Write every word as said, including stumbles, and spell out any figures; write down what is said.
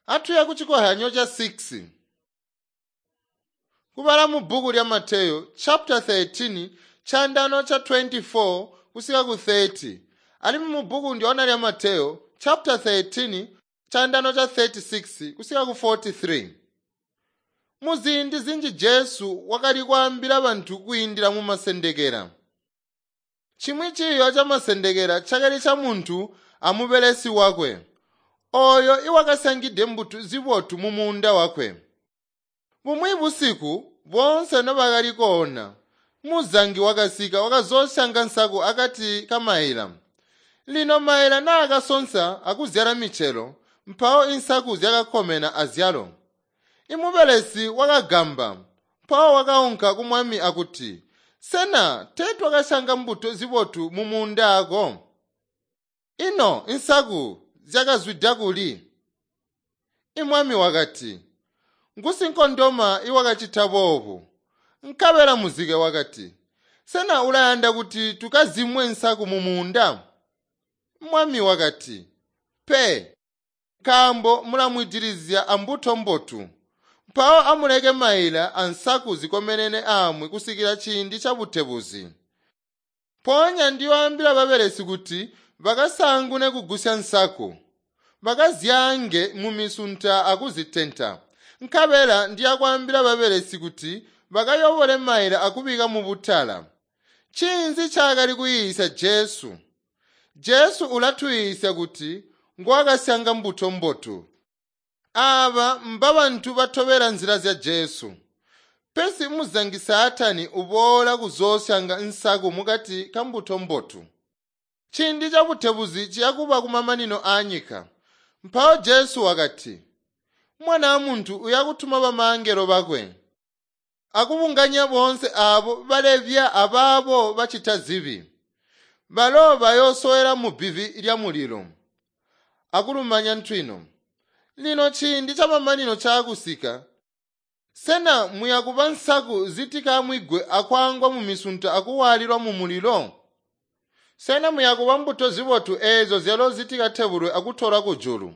Atuya ku chikohyanyo cha six. Kubala mu bhuku lya Mateyu chapter thirteen chandano cha twenty-four kusika ku thirty. Alimwi mu bhuku ndiona lya Mateyu chapter thirteen chandano cha thirty-six kusika ku forty-three. Muziindi zinji Jesu wakali kwaambila bantu kwiindila mu masendekela. Chimwi chiyo cha masendekela chakali cha munthu amubelesi wakwe, oyo iwakasangide mbuto zibotu mu munda wakwe. Bumwi busiku bonse nobakali koona, muzangi wakasika wakazosyanga nsaku akati ka maila. Lino maila naakasonsa akuzyala micelo, mpawo insaku zyakakomena azyalo. Imubelesi wakagamba, mpawo wakaunka ku mwami akuti, “Sena tee twakasyanga mbuto zibotu mu munda ako? Ino insaku zyakazwida kuli?” Imwami wakati, “Ngusinkondoma iwakacita boobu.” Nkabela muzike wakati, “Sena ulayanda kuti tukazimwe nsaku mu munda?” Mwami wakati, “Pe, nkaambo mulamwidilizya ambuto mbotu. Mpawo amuleke maila ansaku zikomenene aamwi kusikila ciindi ca butebuzi. Mpoonya ndiyoambila babelesi kuti bakasaangune kugusya nsaku, bakazyaange mumisunta akuzitenta. Nkabela ndiyakwaambila babelesi kuti bakayobole maila akubika mubutala.” Ncinzi ncaakali kuyiisya Jesu? Jesu ulatuyiisya kuti nguwakasyanga mbuto mbotu. Aaba mbabantu batobela nzila zya Jesu. Pesi muzangi Saatani uboola kuzoosyanga nsaku mukati ka mbuto mbotu. Ciindi ca butebuzi ciyakuba kumamanino aanyika. Mpawo Jesu wakati, “Mwana muntu uyakutuma bamangelo bakwe akubunganya boonse aabo balebya abaabo bacita zibi. Balo bayoosowela mu bbivi lya mulilo akulumanya ntwino. Lino ciindi chamamanino caakusika, sena muyakuba nsaku zitikamwigwe akwaangwa mu misunta akuwaalilwa mu mulilo? Sena muyakuba mbuto zibotu eezo zyalo zitikatebulwe akutolwa kujulu?”